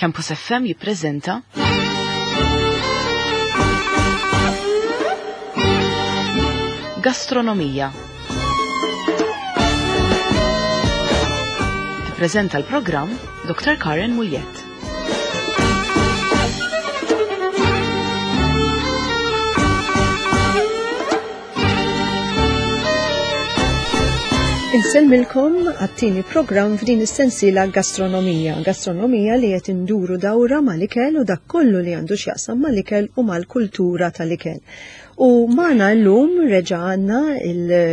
Campus FM jippreżenta Gastronomija. Tippreżenta l-programm Dr. Karen Muljet. Insellmilkom għat-tieni programm f'din is-sensiela Gastronomija. Gastronomija li qed induru dawra mal-ikel u dak kollu li għandu x'jaqsam mal-ikel u mal-kultura tal-ikel. U magħna llum reġa' għandna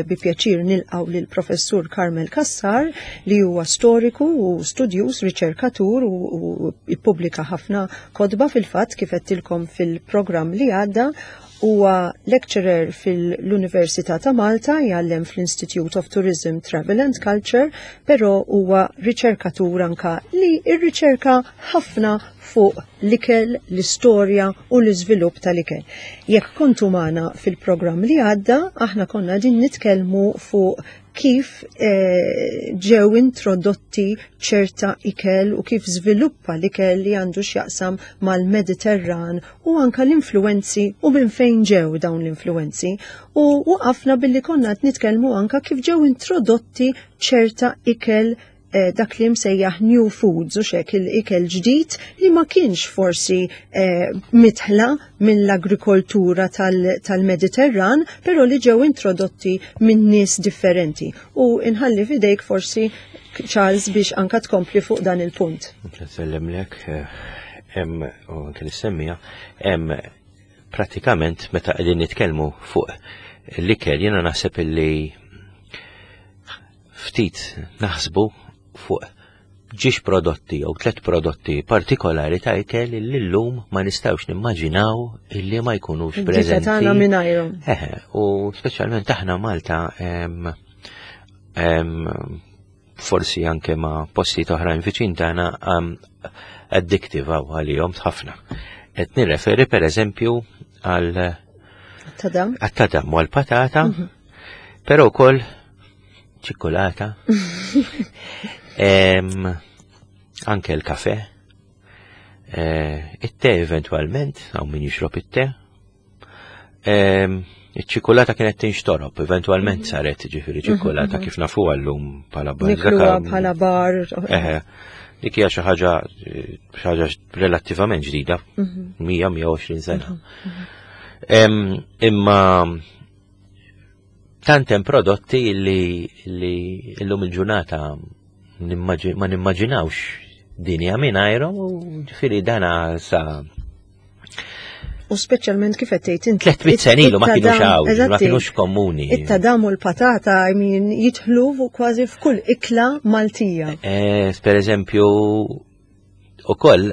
bi pjaċir nilqgħu lil professur Carmel Cassar li huwa storiku u studjuż, riċerkatur u ippubblika ħafna kotba fil-fatt kif għedtilkom fil-programm li għadda. Huwa lecturer fil-Università ta' Malta, jgħallem fl-Institute of Tourism, Travel and Culture, però huwa riċerkatur anka li rriċerka ħafna fuq l-ikel, l-istorja u l-iżvilupp tal-ikel. Jekk kontu magħna fil-programm li għadda, aħna konna din nitkellmu fuq kif eh, ġew introdotti ċerta ikel u kif żviluppa l-ikel li għandu x'jaqsam mal-Mediterran u anka l-influenzi u minn fejn ġew dawn l-influenzi. U waqafna billi konna qed nitkellmu anka kif ġew introdotti ċerta ikel eh, dak li msejjaħ new foods u xek il-ikel ġdid li ma kienx forsi eh, mitħla mill-agrikoltura tal-Mediterran, tal però li ġew introdotti minn nies differenti. U inħalli fidejk forsi Charles biex anka tkompli fuq dan il-punt. Nsellemlek, eh, hemm u anke nissemmija, hemm pratikament meta qegħdin nitkellmu fuq l-ikel jiena naħseb illi ftit naħsbu fuq ġiex prodotti jew tlet prodotti partikolari ta' ikel li llum ma nistgħux nimmaġinaw illi ma jkunux preżenti. Tagħna mingħajrhom. Eħe, u speċjalment aħna Malta forsi anke ma' postijiet oħrajn viċin tagħna addictive għaw għalihom ħafna. Qed nirreferi pereżempju għal tadam għat-tadam u għal-patata, mhm. però wkoll ċikkulata, anke l-kafe, eh, it-te eventualment, għaw min jixrob it-te, Iċ-ċikulata kienet tinxtorob, eventualment mhm. saret ġifieri mhm, ċikulata mhm. kif nafu għallum bħala bar. bħala bar. Eħe, dik hija xi ħaġa xi ħaġa relattivament ġdida, 100-120 sena. Imma tant hemm prodotti li li llum il-ġurnata ma nimmaġinawx dinja mingħajrhom u ġifieri dana sa U speċjalment kif qed tgħid inti. 300 sena ilu ma kienux hawn, ma kienux komuni. It-tadam u l-patata I mean jidħlu kważi f'kull ikla Maltija. Eh, per eżempju, ukoll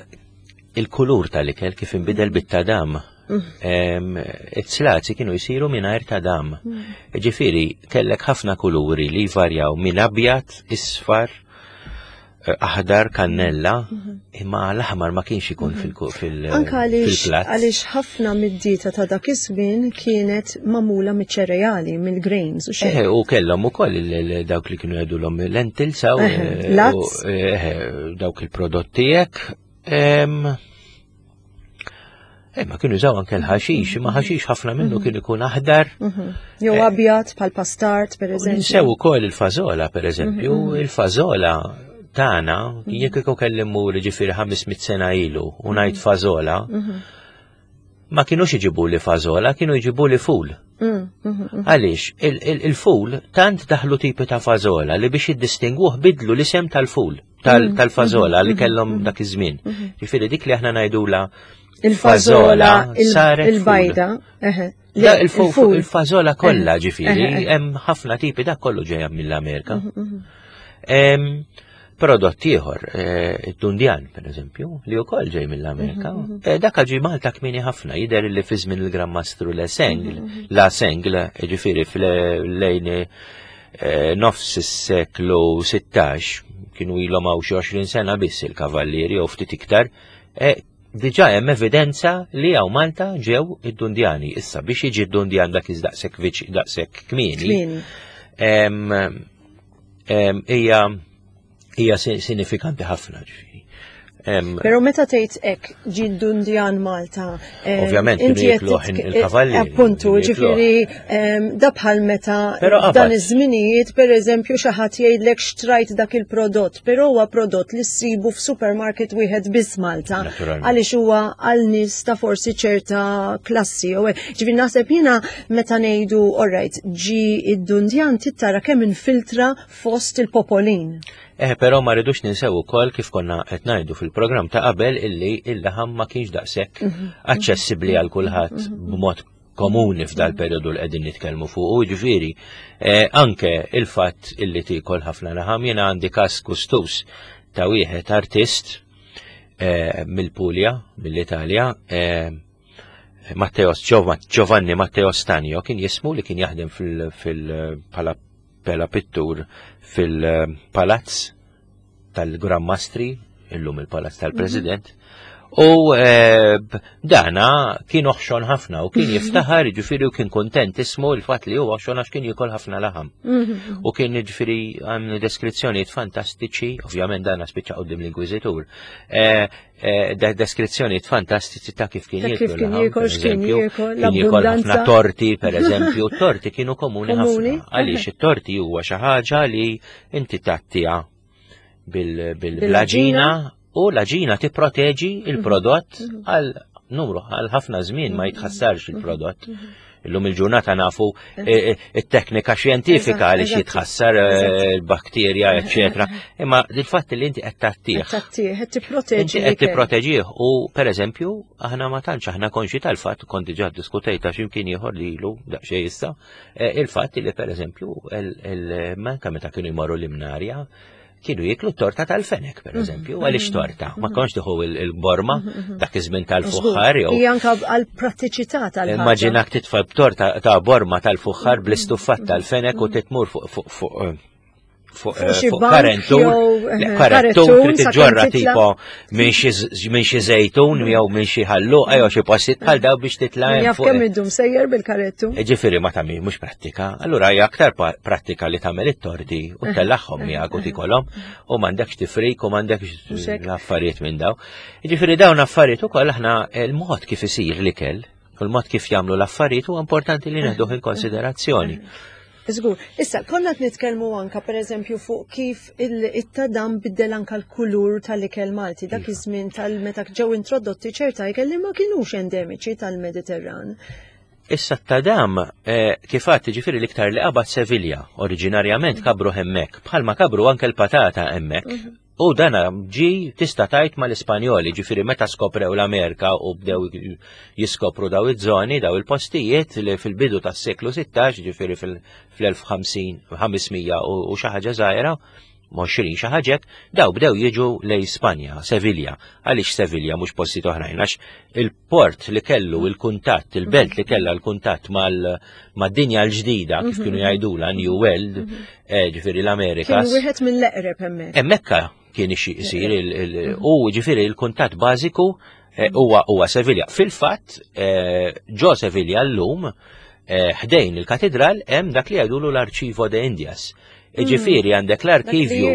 il-kulur tal-ikel kif inbidel bit-tadam. Mm. It-slazi kienu jisiru mingħajr tadam. Mm. Ġifieri kellek ħafna kuluri li jvarjaw minn abjad, isfar, eh, aħdar kannella, mhm. imma l-aħmar ma kienx ikun mhm. fil-plat. Anka għaliex ħafna mid-dieta ta' dak iż-żmien kienet magħmula miċ-ċereali, mill-grains u xejn. Eh, u kellhom ukoll dawk li kienu jgħidulhom lentils aw eh, dawk il-prodotti hekk. Eh, ma kienu jużaw anke l-ħaxix, imma ħaxix ħafna minnu mhm. kien ikun aħdar. Mhm. Jew eh, abjad bħal pastart, per eżempju. Ninsew ukoll il-fażola, per eżempju, mhm, il-fażola tagħna, jekk ikun kelli mmur ġifieri 500 sena ilu u ngħid fażola, ma kienux iġibu li fażola, kienu jġibu li ful. Mm, Għaliex, il-ful tant daħlu tipi ta' fażola li biex jiddistingwuh bidlu l-isem tal-ful. Mm. tal-fażola li mm-hmm. kellhom mm-hmm. dak iż-żmien. Mm-hmm. Ġifieri dik li aħna ngħidula il-fażola il-bajda. Il-fażola kollha ġifieri hemm ħafna tipi dak kollu ġejja mill-Amerika. Prodott ieħor, eh, id-dundjan per eżempju, li wkoll ġej mill-Amerika, eh, dak ġi Malta kmieni ħafna, jidher li fi żmien il-Gran Mastru La Sengl, La Sengl, ġifieri fl-lejn Eh, nofs is-seklu 16 kienu ilhom hawn xi 20 sena biss il-kavallieri jew ftit iktar, eh, diġà hemm evidenza li hawn Malta ġew id-Dundjani. Issa biex jiġi d-Dundjan dak iż-daqshekk daqshekk kmieni. Hija hija sinifikanti ħafna ġifieri. Pero meta tgħid hekk ġi dundjan Malta. Ovvjament kienu jikluh il-kavalli. Appuntu, ġifieri da bħal meta dan iż-żminijiet pereżempju xi ħadd jgħidlek xtrajt dak il-prodott, però huwa prodott li ssibu f'supermarket wieħed biss Malta. Għaliex huwa għal nies ta' forsi ċerta klassi. Ġifieri naħseb jiena meta ngħidu alright, ġi id-dundjan tittara kemm infiltra fost il-popolin. Eh, però ma rridux ninsew ukoll kif konna qed ngħidu fil-programm ta' qabel illi il-laħam ma kienx daqshekk mhm. aċċessibbli għal kulħadd mhm. b'mod komuni f'dal periodu li qegħdin nitkellmu fuq. U ġifieri eh, anke il-fatt illi tiekol ħafna laħam jiena għandi każ kustus ta' wieħed artist eh, mill-Pulja, mill-Italja, eh, Matteo Giovanni Matteo Stanio kien jismu li kien jaħdem fil-pala pela pittur fil-palazz tal-Gran Mastri, illum il-palazz tal-President, u eh, dana kien oħxon ħafna u kien jiftaħar, ġifiri u kien kontent ismu il-fat li huwa oħxon għax kien jikol ħafna laħam. Mhm. U kien ġifiri għam deskrizzjonijiet fantastiċi, ovvjament dana spiċċa qudiem l-Inkwiżitur, eh, Eh, deskrizzjonijiet fantastiċi ta' kif kien jiekol. Kif kien jiekol, x'kien jiekol, l-abbundanza. Torti, per eżempju, torti kienu komuni ħafna. Għaliex it-torti huwa xi ħaġa li inti tattija bil-laġina u l-aġina tipproteġi il-prodott mhm. għal numru għal ħafna żmien ma mhm. jitħassarx il-prodott. Mhm. Illum il-ġurnata nafu eh, eh, it-teknika xjentifika li xi tħassar eh, il-bakterja, eċetera. Imma il-fatt li inti qed tattih. Tattih, qed tipproteġi. Qed tipproteġih u pereżempju aħna ma tantx aħna konxi tal-fatt kont diġà ddiskutejta x'imkien ieħor li ilu daqsxejn issa, il-fatt li pereżempju manka meta kienu jmorru l-imnarja kienu jiklu torta tal-fenek, per mhm. eżempju, għaliex mhm. torta, ma mhm. konx tieħu il-borma dak iż-żmien tal-fuħħar jew. Hija anke għall-prattiċità tal Immaġinak titfa' b'torta ta' borma tal-fuħħar bl-istuffat tal-fenek u titmur fuq fuq eh, fuq eh, karentur, eh, karentur trid tiġġorra tipo minn xi żejtun jew minn xi ħalluqa jew xi postijiet bħal daw biex titla' hemm. Jaf kemm idum sejjer bil-karettu. Ġifieri ma tagħmel mhux prattika. Allura hija aktar prattika li tagħmel it-torti u tellagħhom miegħek u tikolhom u m'għandekx tifrik u m'għandekx affarijiet minn daw. Ġifieri dawn affarijiet ukoll aħna il-mod kif isir l-ikel u l-mod kif jagħmlu l-affarijiet huwa importanti li neħduh in konsiderazzjoni. Żgur. Issa, konna qed nitkellmu anka pereżempju fuq kif it-tadam biddel anka l-kulur tal-ikel Malti dak iva. iż-żmien tal-meta ġew introdotti ċerta ikel li ma kinux endemiċi tal-Mediterran. Issa t-tadam, eh, kif għad ġifiri l-iktar li qabad Sevilja, oriġinarjament kabru hemmek, bħalma kabru anke l-patata hemmek. Mhm. U dana ġi tista' tgħid mal-Ispanjoli, ġifieri meta skoprew l-Amerika u bdew jiskopru daw iż-żoni, daw il-postijiet li fil-bidu tas-seklu 16, ġifieri fil-1500 u xi ħaġa żgħira, 20 xi ħaġek, daw bdew jiġu lej Spanja, Sevilja. Għaliex Sevilja mhux postijiet oħrajn, għax il-port li kellu il-kuntatt, il-belt li kellha l-kuntatt mal-dinja l-ġdida, kif kienu mhm. jgħidula New World, mhm. eh, ġifieri l-Amerika. Kien wieħed mill-eqreb hemmhekk. Hemmhekk kien isir mhm. u ġifieri l-kuntatt bażiku eh, huwa huwa Sevilja. Fil-fatt, eh, ġo Sevilja llum ħdejn il-katedral hemm dak li jgħidulu l-Arċivo de Indias. Ġifieri għandek l-arkivju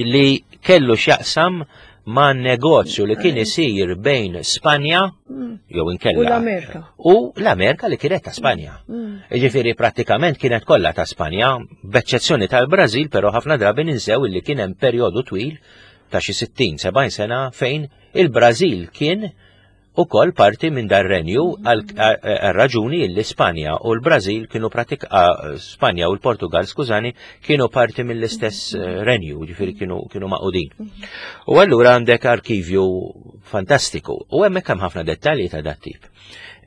li kellu x'jaqsam ma' negozju li kien isir bejn Spanja mm. jew inkella. U l-Amerika. U l-Amerika li kienet ta' Spanja. Mm. Ġifieri prattikament kienet kollha ta' Spanja, b'eċċezzjoni tal-Brażil, però ħafna drabi ninsew li kien hemm perjodu twil ta' xi 60-70 sena fejn il-Brażil kien ukoll parti minn dar renju għal raġuni li Spanja u l-Brażil kienu pratik Spanja u l-Portugal, skużani, kienu parti mill-istess eh, renju, ġifieri kienu kienu maqudin. U allura għandek arkivju fantastiku u hemmhekk hemm ħafna dettalji ta' dat tip.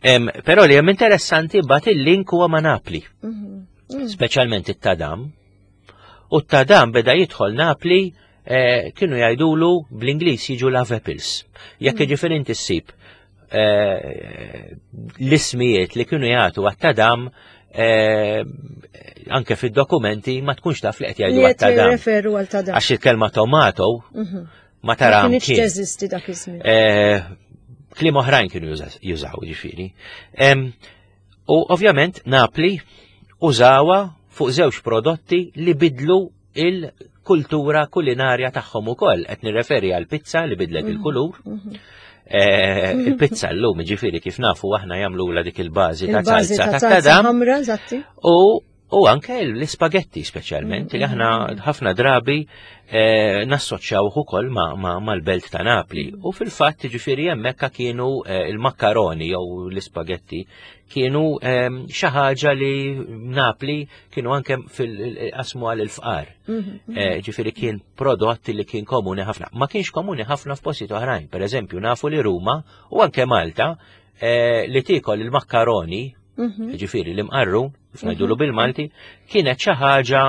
Però li hemm interessanti bat il-link huwa ma' Napli, mhm. speċjalment it-tadam. U t-tadam beda jidħol Napli eh, kienu jgħidulu bl-Ingliż jiġu love apples. Jekk mm. jiġifieri inti ssib eh, l-ismijiet li kienu jagħtu għat-tadam eh, anke fid-dokumenti ma tkunx taf li qed jgħidu għat-tadam. Għax il-kelma tomato mhm. ma tara. Ma kienx teżisti dak iż-żmien. Kliem oħrajn kienu jużaw ġifieri. U ovvjament Napli użawa fuq żewġ prodotti li bidlu il- kultura kulinarja tagħhom ukoll. Qed nirreferi għal pizza li bidlet il-kulur. Eh, il-pizza llum, ġifieri kif nafu aħna jagħmlula dik il-bażi ta' Il-bażi salza ta' ta' salsa tadam ħamra, eżatti. u anke l-ispagetti speċjalment li aħna ħafna drabi eh, nassoċjaw ukoll mal-belt ta' Napli. U fil-fatt ġifieri hemmhekk kienu eh, il-makkaroni jew l-ispagetti kienu ehm, xi ħaġa li Napli kienu anke fil-qasmu għal il-fqar. Eh, Ġifieri kien prodott li kien komuni ħafna. Ma kienx komuni ħafna f'postijiet oħrajn. Per eżempju, nafu li Ruma u anke Malta eh, li tiekol il-makkaroni ġifieri l-imqarru, kif ngħidulu bil-Malti, kienet xi ħaġa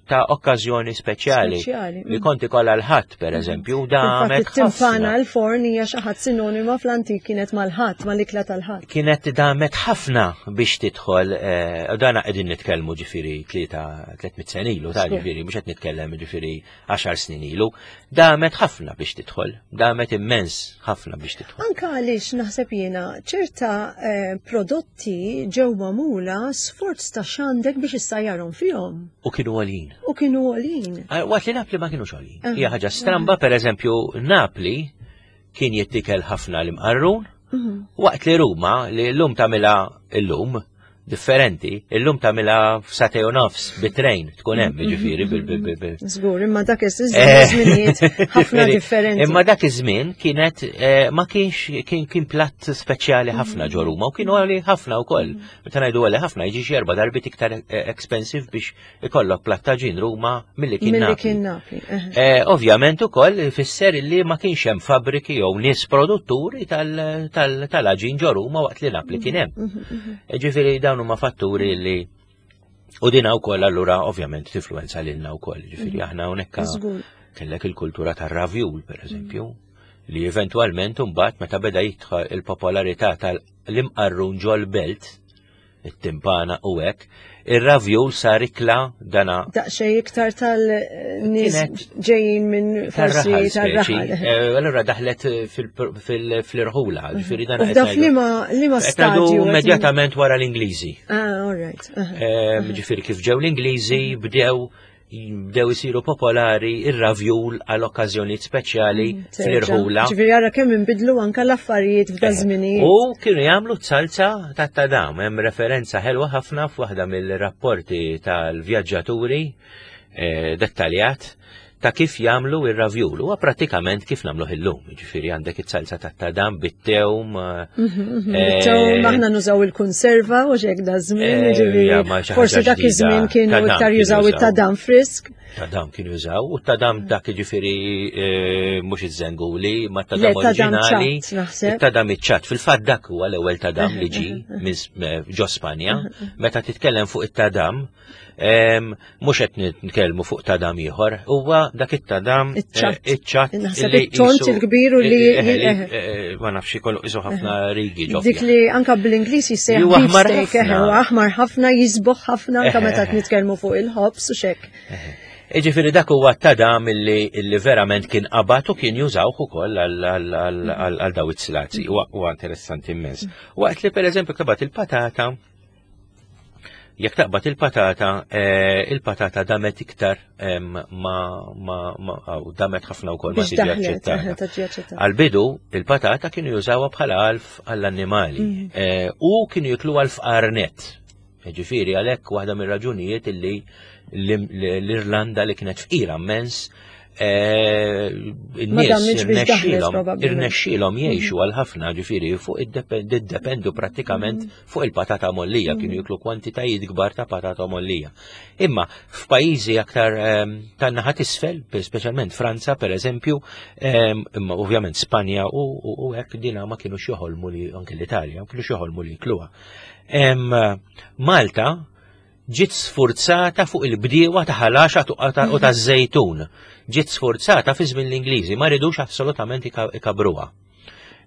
ta' okkażjoni speċjali. Speċjali, Li kont ikollha l-ħadd, per eżempju, Fil-fatt damet it-timpana ħafna. l-forn hija xi ħadd sinonima fl-antik kienet mal-ħadd, mal-ikla tal-ħadd. Kienet damet ħafna biex tidħol, eh, u dana qegħdin nitkellmu ġifieri 300 sena ilu, ta' Żgur. ġifieri mhux qed nitkellem ġifieri 10 snin ilu, damet ħafna biex tidħol, damet immens ħafna biex tidħol. Anka għaliex naħseb jiena ċerta eh, prodotti ġew magħmula sforz ta' x'għandek biex issajjarhom fihom U kienu għalin. u kienu għolin. Ah, Waqt li Napli ma kienux għolin. Aha. Hija ħaġa stramba, per eżempju, Napli kien jittikel ħafna l-imqarrun, waqt li Ruma, li l-lum tamila l-lum, differenti, l-lum tamila f'satej u nofs, bit-trejn, tkun hemm, ġifieri, bil- bil- bil- bil- Żgur, imma dak Eh, iż-żminijiet ħafna ġifieri, differenti. Imma dak iż-żmien kienet eh, ma kienx kien kien platt speċjali ħafna ġo Ruma u kienu għali ħafna wkoll. Meta ngħidu għali ħafna jiġi xi erba' darbit iktar eh, expensive biex ikollok platt ta' ġin Ruma milli kien Milli Napli. kien Napli. eh. Eh, Ovvjament ukoll ifisser li ma kienx hemm fabbriki jew nies produtturi tal- tal- tal-aġin ġo Ruma waqt li Napli kien hemm. Eh, Ġifieri dawn huma fatturi li u dina wkoll allura ovvjament tifluenza lilna wkoll. Ġifieri aħna hawnhekk Żgur. kellek il-kultura tar-ravjul pereżempju li eventwalment imbagħad meta beda jidħol il-popolarità tal-imqarrun ġol-belt it-timpana u hekk, ir-ravjul sar ikla dana Daqsxejn iktar tal-nies Kienet ġejjin minn forsi tar-raħal speċi. tar-raħal. Eh, Allura daħlet fil-irħula, ġifieri dan U qed f'daf ngħidu- liema liema qed ngħidu stadju. immedjatament wara l-Ingliżi. Ah, all right. aha. Eh, Ġifieri kif ġew l-Ingliżi bdew bdew isiru popolari ir-ravjul għal okkażjonijiet speċjali Terġa'. fl-irħula. Ġifieri ara kemm inbidlu anka l-affarijiet f'da żminijiet. U kienu jagħmlu salsa ta' tadam, hemm referenza ħelwa ħafna f'waħda mill-rapporti tal-vjaġġaturi eh, dettaljat ta' kif jagħmlu ir-ravjul. Huwa prattikament kif nagħmluh illum. Jiġifieri għandek it-salsa ta' tadam bit-tewm. eh, Bit-tewm aħna nużaw il-konserva u xek da żmien, Eh, ġifieri, ja, ma xi forsi ħaġa dak ġdida. iż-żmien kienu Tadam iktar kienu jużaw jużaw. it-tadam frisk. Tadam kienu jużaw, u tadam dak jiġifieri eh, mhux iż-żenguli, ma Le, tadam tadam oriġinali. ċatt, naħseb. Tadam iċ-ċatt. Fil-fatt dak huwa l-ewwel tadam li ġi minn ġo Spanja. Meta titkellem fuq it-tadam, em, mhux qed nitkellmu fuq tadam ieħor, huwa dak it-tadam eh, Iċ-ċatt. iċ-ċatt Naħseb li it-tont qisu- il-kbir u li- eh, eh, eh. eh, ma nafx ikollu qisu ħafna rigi ġo Dik fih. li anka bl-Ingliż jissejjaħ Li huwa aħmar beefsteak, ħafna. eh, huwa aħmar ħafna, jisboħ ħafna anka Eh, meta eh. nitkellmu fuq il-ħobs u xek. Iġifieri dak huwa tadam illi, illi verament kien qabad u kien jużawh ukoll għal- għal- għal għal- għal daw it-slazi. Huwa huwa interessanti immens. Waqt li pereżempju taqbad il-patata, jekk taqbad il-patata, eh, il-patata damet iktar em, ma, ma, ma aw, damet ħafna wkoll ma Biex tiġi daħlet, eh, aċċettata. tiġi aċċettata. Għal-bidu, il-patata kienu jużawha bħala għalf għall-annimali eh, u kienu jiklu għalf qarnet. Ġifieri għalhekk waħda mir-raġunijiet illi l- l-Irlanda li kienet fqira immens eh, Ma in-nies dammitx biex daħlet, irnexxielhom probabbilment. irnexxielhom jgħixu għal ħafna ġifieri fuq iddependu prattikament fuq il-patata mollija, kienu jiklu kwantitajiet kbar ta' patata mollija. Imma f'pajjiżi aktar ehm, tan-naħa t'isfel, speċjalment Franza per eżempju, ehm, imma ovvjament Spanja u u- u hekk dina ma kienux joħolmu li anke l-Italja, ma kienux joħolmu li jikluha. Ehm, Malta ġiet sfurzata fuq il-bdiewa ta' ħalaxa u ta' żejtun. Ġiet sfurzata fi żmien l-Ingliżi, ma ridux assolutament ikabruha.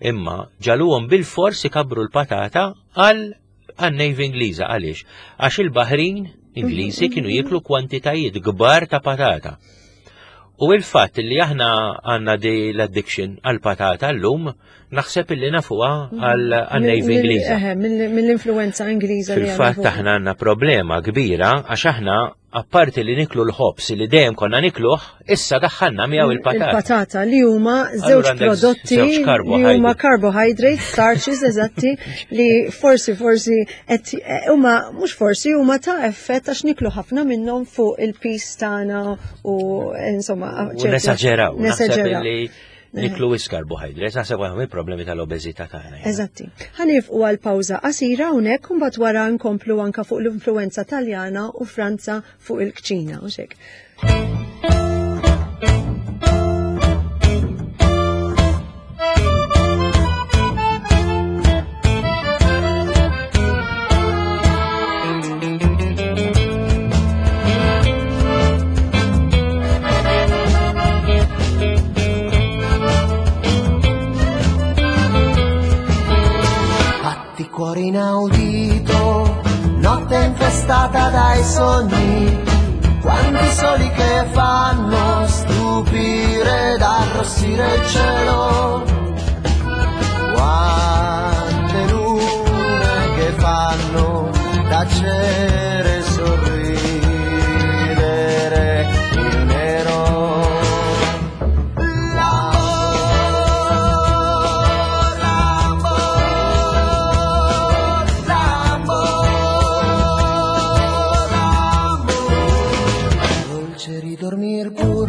Imma ġaluhom bil-fors ikabru l-patata għal għan-Navy Ingliża għaliex? Għax il-Baħrin Ingliżi kienu jiklu kwantitajiet kbar ta' patata. U il-fatt li aħna għanna di l-addiction għal-patata l-lum, naħseb illi nafuha għal-Navy Ingliża. Mill-influenza Ingliża li Fil-fatt għandna fuq. aħna għandna problema kbira għax aħna apparti li niklu l-ħobs li dejjem konna nikluh, issa daħħalna miegħu il-patata. Il-patata li huma żewġ prodotti li huma carbohydrates, starches eżatti li forsi forsi qed eh, huma mhux forsi huma ta' effett għax niklu ħafna minnhom fuq il-pis tagħna u insomma. Nesaġeraw. Nesaġeraw. Niklu wis carbohydrates, naħseb għahom il-problemi tal-obeżità tagħna. Eżatti. Ħanifqu għal pawża qasira hawnhekk u mbagħad wara nkomplu anka fuq l-influenza Taljana u Franza fuq il-kċina u xek. Batti cuore inaudito, notte infestata dai sogni, quanti soli che fanno stupire ed arrossire il cielo. Quante lune che fanno tacere e sorridere il nero. L'amor, l'amor, l'amor, l'amor. Dolce ridormir pur.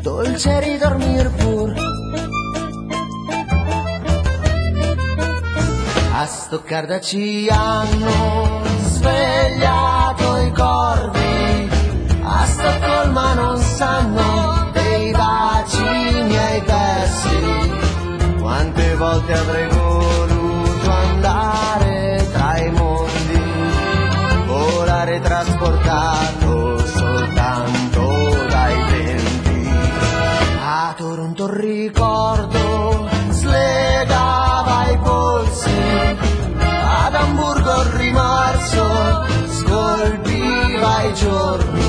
Dolce ridormir pur. A Stoccarda ci hanno svegliato i corvi, a Stoccolma non sanno dei baci miei persi. Quante volte avrei voluto andare tra i mondi, volare trasportato soltanto dai venti. A Toronto il ricordo slegava i polsi, ad Amburgo il rimorso scolpiva i giorni.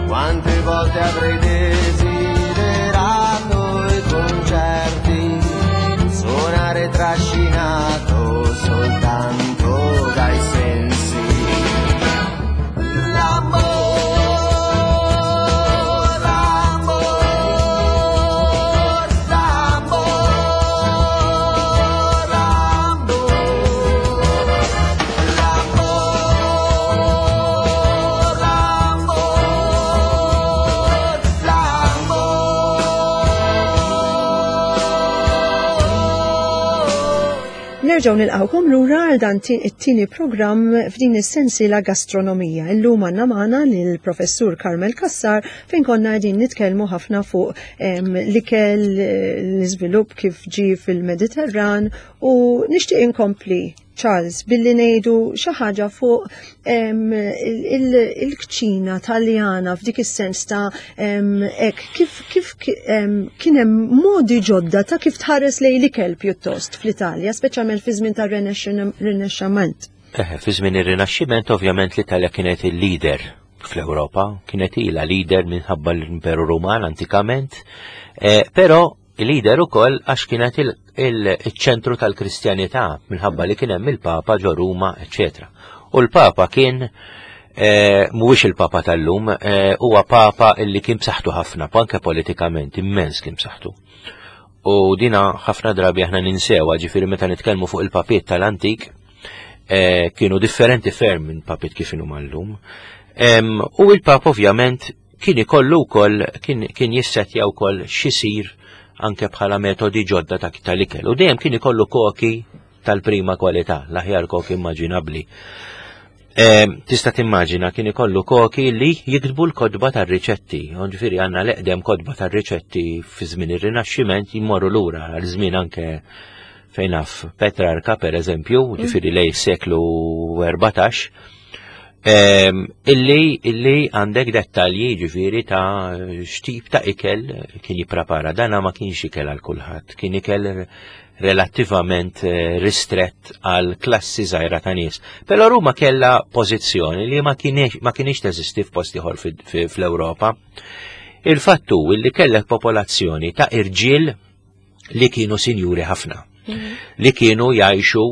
Quante volte avrei desiderato i concerti, suonare trascinato soltanto dai sensi. L'amor, l'amor, l'amor, l'amor, l'amor, l'amor, l'amor. Nerġgħu nilqgħukom lura għal dan it-tieni programm f'din is-sensiela gastronomija. Illum għandna magħna lill-Professur Carmel Cassar fejn konna qegħdin nitkellmu ħafna fuq l-ikel, l-iżvilupp kif ġie fil-Mediterran u nixtieq inkompli Charles billi ngħidu xi ħaġa fuq il-kċina Taljana f'dik is-sens ta' hekk kif kien hemm modi ġodda ta' kif tħares lejn l-ikel pjuttost fl-Italja, speċjalment fi żmien tar-Rinaxximent. Fi żmien ir-Rinaxximent ovvjament l-Italja kienet il-leader fl-Ewropa, kienet ilha leader minħabba l-Imperu Ruman antikament, però il-leader ukoll għax kienet il-ċentru tal-Kristjanità minħabba li kien hemm il-Papa ġo Ruma, eċċetera. U l-Papa kien mhuwiex il-Papa tal-lum, huwa Papa illi kien b'saħħtu ħafna, anke politikament immens kien b'saħħtu. U dina ħafna drabi aħna ninsewha, ġifieri meta nitkellmu fuq il-papiet tal-antik, kienu differenti ferm minn papiet kif inhuma llum. U il-Papa ovvjament kien ikollu wkoll, kien jissetja wkoll x'isir anke bħala metodi ġodda tal-ikel. U dejjem kien ikollu koki tal-prima kwalità, l-aħjar koki immaġinabbli. Tista' timmaġina kien ikollu koki li jiktbu l-kotba tar-riċetti. Ġifieri għandna l-eqdem kotba tar-riċetti fi żmien ir-Rinaxximent jmorru lura għal żmien anke fejn naf Petrarca per eżempju, ġifieri lej seklu 14, illi għandek dettalji ġifieri ta' x'tip ta' ikel kien jipprepara. Dana ma kienx ikel għal kulħadd, kien ikel relattivament ristrett għal klassi żgħira ta' nies. Però Ruma kellha pożizzjoni li ma kienx teżisti f'post ieħor fl-Ewropa. Il-fatt hu li kellek popolazzjoni ta' irġiel li kienu sinjuri ħafna, li kienu jgħixu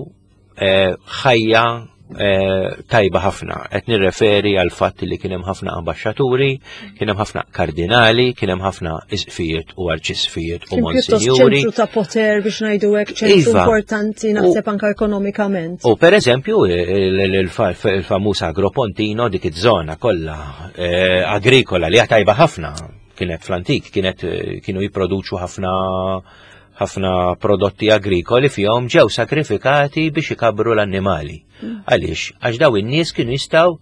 ħajja tajba ħafna. Qed nirreferi għal fatt li kien hemm ħafna ambaxxaturi, kien hemm ħafna kardinali, kien hemm ħafna isqfijiet u arċisfijiet u monsinjuri. ċentru ta' poter biex ngħidu hekk ċentru iva. importanti naħseb anka ekonomikament. U per eżempju il-famuż Agropontino dik iż-żona kollha eh, agrikola li tajba ħafna kienet fl-antik, kienet eh, kienu jipproduċu ħafna ħafna prodotti agrikoli fihom ġew sakrifikati biex ikabru l-annimali. Għaliex? Għax daw in-nies kienu jistgħu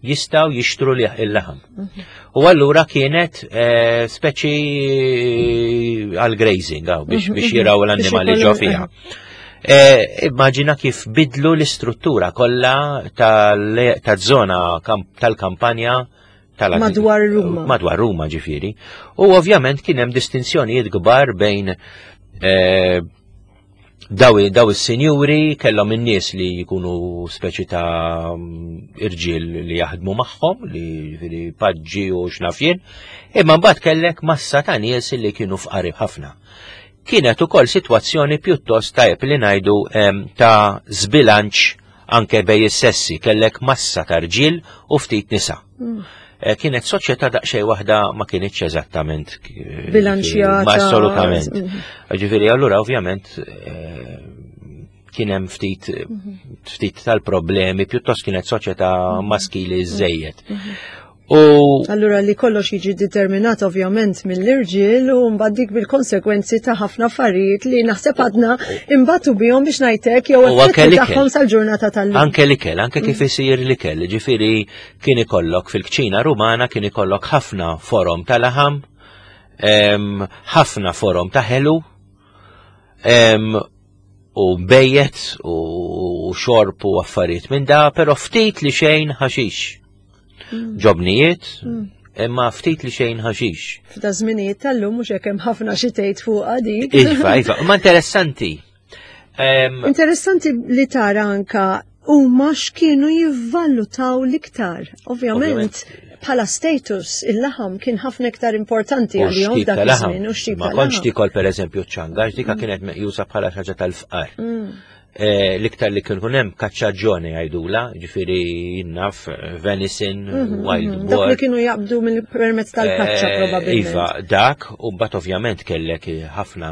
jistgħu jixtru il-laħam. Mhm. U allura kienet eh, speċi għal grazing biex mhm, biex mhm. jiraw l-annimali ġo fiha. Eh, immaġina kif bidlu l-istruttura kollha tal-żona tal-kampanja tal Madwar Ruma. Madwar Ruma ġifieri. U ovvjament kien hemm distinzjonijiet kbar bejn eh, daw, daw is-sinjuri kellhom in-nies li jkunu speċi ta' irġiel li jaħdmu magħhom, li ġifieri paġġi u x'naf jien, imma mbagħad kellek massa ta' nies li kienu fqari ħafna. Kienet ukoll sitwazzjoni pjuttost tajjeb li ngħidu ta' żbilanċ anke bej is-sessi, kellek massa ta' rġiel u ftit nisa. Eh, kienet soċjetà daqsxejn waħda ma kienitx eżattament eh, bilanċjata. Ma assolutament. Mm. Ġifieri allura ovvjament eh, kien hemm ftit mhm. ftit tal-problemi, pjuttost kienet soċjetà mhm. maskili żejjed. Mhm. U allura li kollox jiġi determinat ovvjament mill-irġiel u mbagħad dik bil-konsekwenzi ta' ħafna affarijiet li naħseb għadna imbagħtu bihom biex ngħidlek jew effetti tagħhom sal-ġurnata tal-lum. Anke l-ikel, anke kif mm. isir l-ikel, ġifieri kien ikollok fil-kċina Rumana kien ikollok ħafna forom ta' laħam, ħafna forom ta' ħelu, u bejjet u xorb u affarijiet minn da, pero ftit li xejn ħaxix. Mm. Ġobnijiet, mm. imma ftit li xejn ħaxix. F'da żminijiet tal-lum mhux hekk hemm ħafna xi tgħid fuqha dik. Iva, iva, ma interessanti. Interessanti li tara anka huma x'kienu jivvalutaw l-iktar. Ovvjament, bħala status il-laħam kien ħafna iktar importanti għalihom dak iż-żmien u x'tip Ma kontx tikol pereżempju ċanga, dika mm. kienet meqjusa bħala xi ħaġa tal-fqar. Eh, l-iktar li kien hemm kaċċaġġoni jgħidula, ġifieri jinnaf eh, venison, mhm, wild mhm. boar. Dak li kienu jaqbdu mill-permezz tal-kaċċa eh, probabbilment. Iva, dak, u mbagħad ovvjament kellek ħafna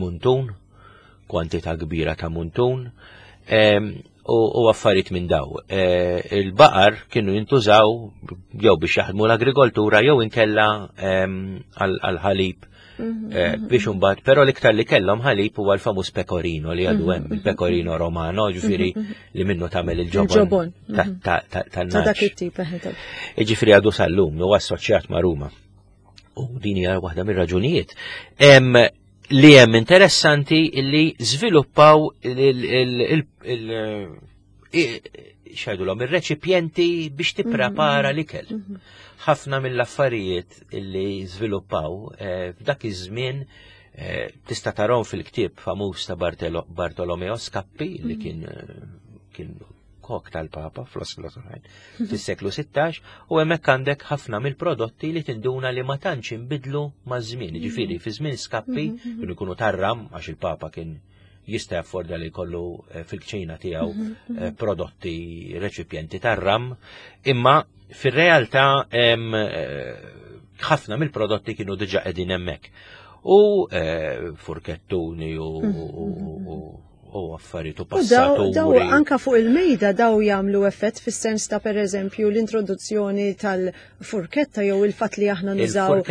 muntun, kwantità kbira ta' muntun, u affarijiet minn daw. Il-baqar kienu jintużaw jew biex jaħdmu l-agrikoltura jew inkella għal-ħalib Mhm, eh, mhm. biex imbagħad, però l-iktar li kellhom ħalib huwa l-famuż pecorino li għadu hemm, mhm, il-pecorino romano, ġifieri li minnu tagħmel il-ġobon ta' dak it-tip. Eh, ġifieri għadu sal-lum huwa assoċjat ma' Ruma. U din hija waħda mir-raġunijiet. Li hemm interessanti li żviluppaw il xajdulhom ir-reċipjenti biex tipprepara mhm. l-ikel. Mhm. Ħafna mill-affarijiet li żviluppaw eh, f'dak iż-żmien eh, tista' tarahom fil-ktieb famuż ta' Bartolomeo Scappi li mhm. kien eh, kien kok tal-Papa fl oħrajn fis-seklu 16 u hemmhekk għandek ħafna mill-prodotti li tinduna li ma tantx inbidlu maż-żmien. Ġifieri fi żmien Scappi kienu jkunu tarram għax il-Papa kien jista' jaffordja li jkollu eh, fil-kċina tiegħu mhm, mhm. eh, prodotti reċipjenti tar-ram, imma fir-realtà eh, ħafna mill-prodotti kienu diġà qegħdin hemmhekk. U furkettuni u mhm, u affarijiet u passaturi. Daw anka fuq il-mejda daw jagħmlu effett fis-sens ta' pereżempju l-introduzzjoni tal-furketta jew il-fatt li aħna nużaw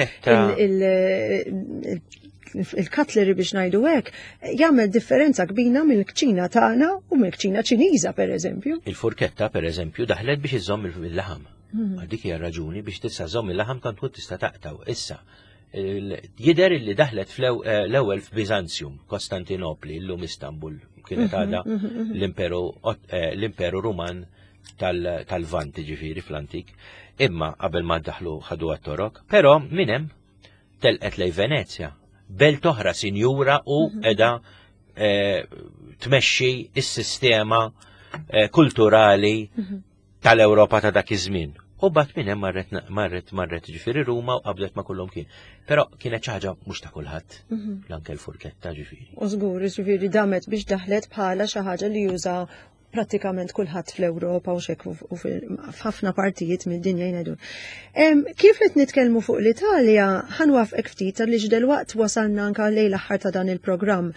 il-cutlery biex ngħidu hekk, jagħmel differenza kbina mill-kċina tagħna u mill-kċina Ċiniża pereżempju. Il-furketta pereżempju daħlet biex iżomm il-laħam. Hmm. Dik hija raġuni biex tista' żomm il-laħam tant tkun tista' taqtaw. Issa, jider li daħlet eh, l-ewwel f'Biżanzjum, Kostantinopli, llum Istanbul, kienet mhm, għadha mhm, mhm. eh, l-Imperu Ruman tal-Vant ġifieri fl-antik. Imma qabel ma daħlu ħadu għat-Torok, però minn hemm telqet lej Venezja, belt oħra sinjura u mhm. edha eh, tmexxi is-sistema eh, kulturali mhm. tal-Ewropa ta' dak iż-żmien. U bat minn hemm marret marret marret ġifieri Ruma u qabdet ma' kullhom kien. Però kienet xi ħaġa mhux ta' kulħadd. Mhm. L-anke l-furketta ġifieri. U żgur, ġifieri damet biex daħlet bħala xi ħaġa li juża. prattikament kulħadd fl-Ewropa u xek u f'ħafna partijiet mid-dinja jgħidu. Kif qed nitkellmu fuq l-Italja, ħanwafqek ftit għaliex delwaqt wasalna anka lejn l-aħħar ta' dan il-programm.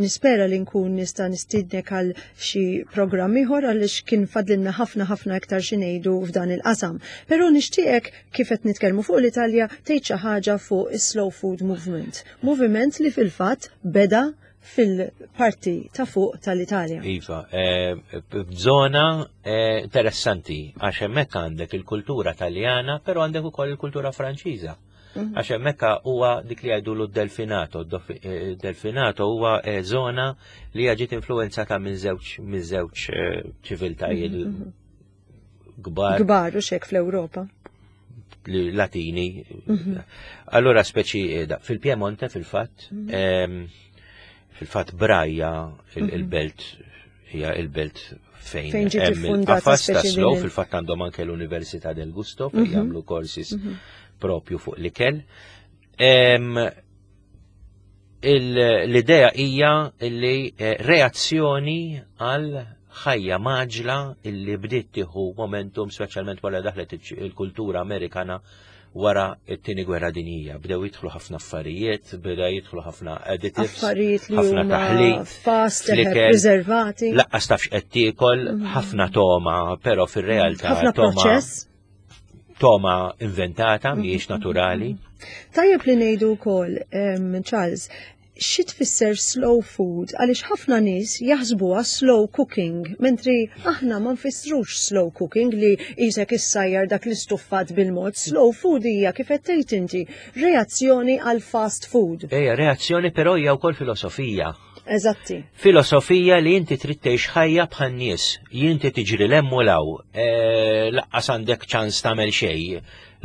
Nispera li nkun nista' nistidnek għal xi programm ieħor għaliex kien fadlilna ħafna ħafna iktar xi ngħidu f'dan il-qasam. Però nixtieqek kif qed nitkellmu fuq l-Italja tgħid xi ħaġa fuq is-slow food movement. Moviment li fil-fatt beda fil-parti ta' fuq tal-Italja. Iva, f'żona interessanti, għax hemmhekk għandek il-kultura Taljana, però għandek ukoll il-kultura Franċiża. Għax hemmhekk huwa dik li jgħidulu d-Delfinato. Delfinato huwa żona li hija ġiet influwenzata minn żewġ ċiviltajiet kbar. Kbar u xek fl-Ewropa. Latini. Allura speċi fil-Piemonte fil-fatt, fil-fatt Braja il-belt hija il-belt fejn Fejn ġiet hemm iffundata il-qafas ta' speċi slow, din il- fil-fatt għandhom anke l-Università del Gusto fejn jagħmlu courses propju fuq l-ikel. L-idea hija li reazzjoni għal ħajja maġla illi bdiet tieħu momentum speċjalment wara daħlet il-kultura Amerikana wara t-tieni gwerra dinjija. Bdew jidħlu ħafna affarijiet, bdew jidħlu ħafna additives, Affarijiet li ħafna huma taħlit, fast, fl-ikel, preservati. Laqqas tafx qed tiekol, ħafna toma, però fir-realtà Ħafna proċess. toma inventata, mhijiex naturali. Tajjeb li ngħidu wkoll, Charles, xi tfisser slow food għaliex ħafna nies jaħsbuha slow cooking, mentri aħna ma nfissrux slow cooking li isek issajjar dak l-istuffat bil-mod. Slow food hija kif qed tgħid inti reazzjoni għal fast food. Ejja, reazzjoni però hija wkoll filosofija. Eżatti. Filosofija li inti trid tgħix ħajja bħal nies, inti tiġri l-hemm u law, laqqas għandek ċans tagħmel xejn,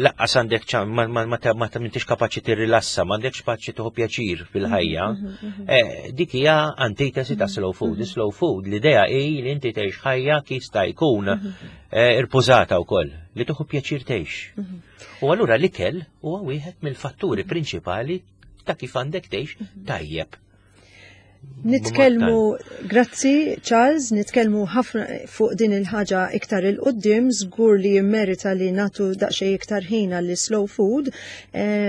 laqqas għandek ċans, ma m'intix kapaċi tirrilassa, m'għandekx kapaċi tieħu pjaċir fil-ħajja. Dik hija antitesi ta' slow food. Slow food, l-idea hi li inti tgħix ħajja kif sta jkun, irpużata wkoll, li tieħu pjaċir tgħix. U allura l-ikel huwa wieħed mill-fatturi prinċipali ta' kif għandek tgħix tajjeb. Nitkellmu, grazzi Charles, nitkellmu ħafna fuq din il-ħaġa iktar il-qoddim, żgur li jimmerita li natu daqsxejn iktar ħin għall slow food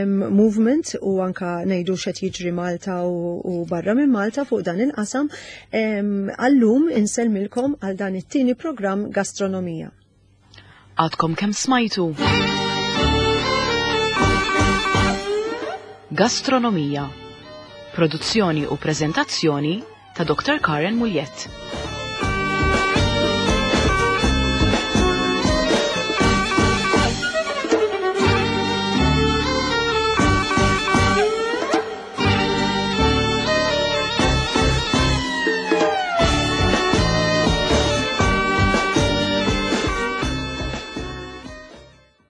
movement u anka ngħidu x'qed jiġri Malta u barra minn Malta fuq dan il-qasam. Għallum insellmilkom għal dan it-tieni programm Gastronomija. Għadkom kemm smajtu? Gastronomija. Produzzjoni u prezentazzjoni ta' Dr. Karen Mugliett.